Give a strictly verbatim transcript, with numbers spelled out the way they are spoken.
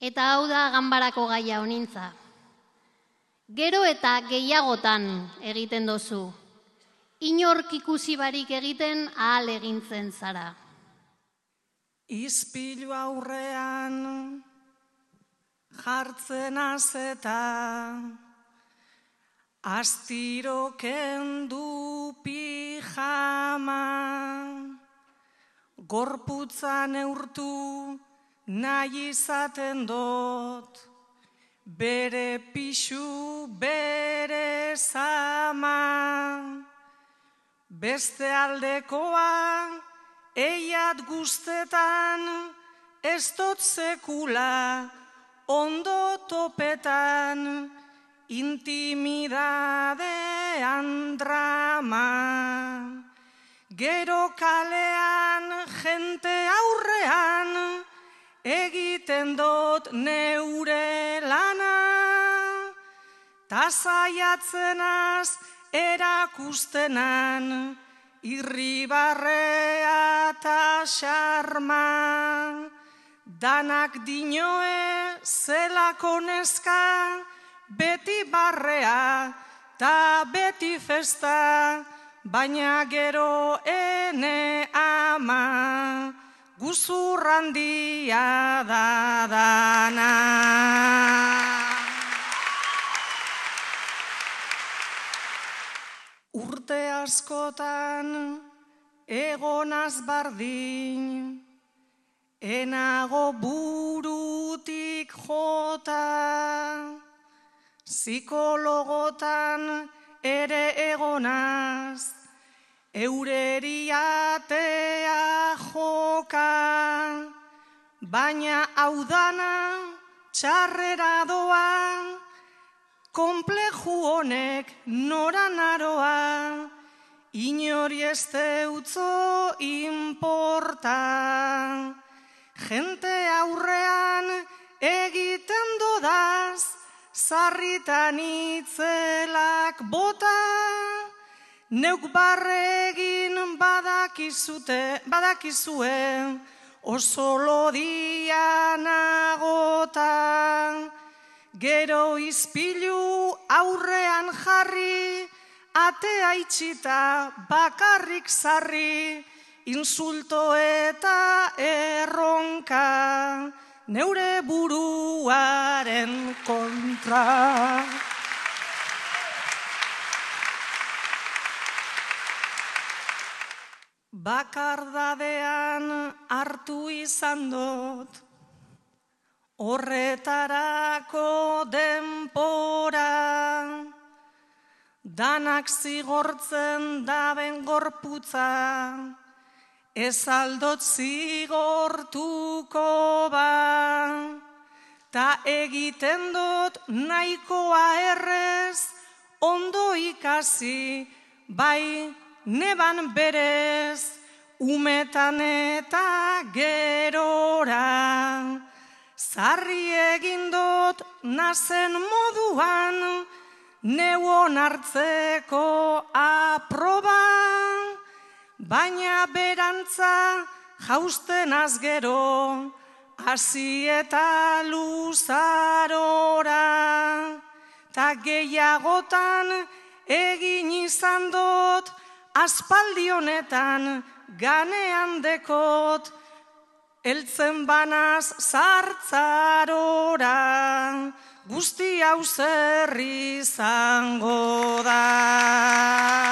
Eta hau da ganbarako gaia honintza. Gero eta gehiagotan egiten dozu. Inork ikusi barik egiten ahal egintzen zara. Izpilu aurrean jartzen azeta, astiro kendu pijama, gorputza neurtu nahi izaten dut, bere pixu, bere zama, beste aldekoa eiat guztetan, ez dut sekula ondo topetan, intimidadean drama. Gero kalean jente aurrean, egiten dut neure lana, ta saiatzenaz erakustenan, irribarrea eta xarma. Danak dinoe zelako neska, beti barrea ta beti festa, baina gero ene ama, guzurrandia da dana. Urte askotan egonaz bardin, enago burutik jota, psikologotan ere egonaz, eureri atea joka, baina hau dana txarrera doa, konpleju honek noran aroa, inori ez deutzo inporta. Jente aurrean egiten dodaz, sarritan itzelak bota, neuk barregin badakizute, badakizue, oso lodia nagota. Gero izpilu aurrean jarri, atea itxita bakarrik sarri, insulto eta erronka, neure buruaren kontra. Bakardadean hartu izan dut, horretarako denpora, danak zigortzen daben gorputza, ez aldot zigortuko ba, ta egiten dut nahikoa errez, ondo ikasi, bai neban berez, umetan eta gerora, zarri egin dut nazen moduan, neuon hartzeko aproba, baina berantza jausten azgero, hasi eta luzarora, ta gehiagotan egin izan dut, aspaldi honetan ganean dekot, eltzen banaz zartzarora, guzti hau zer izango da.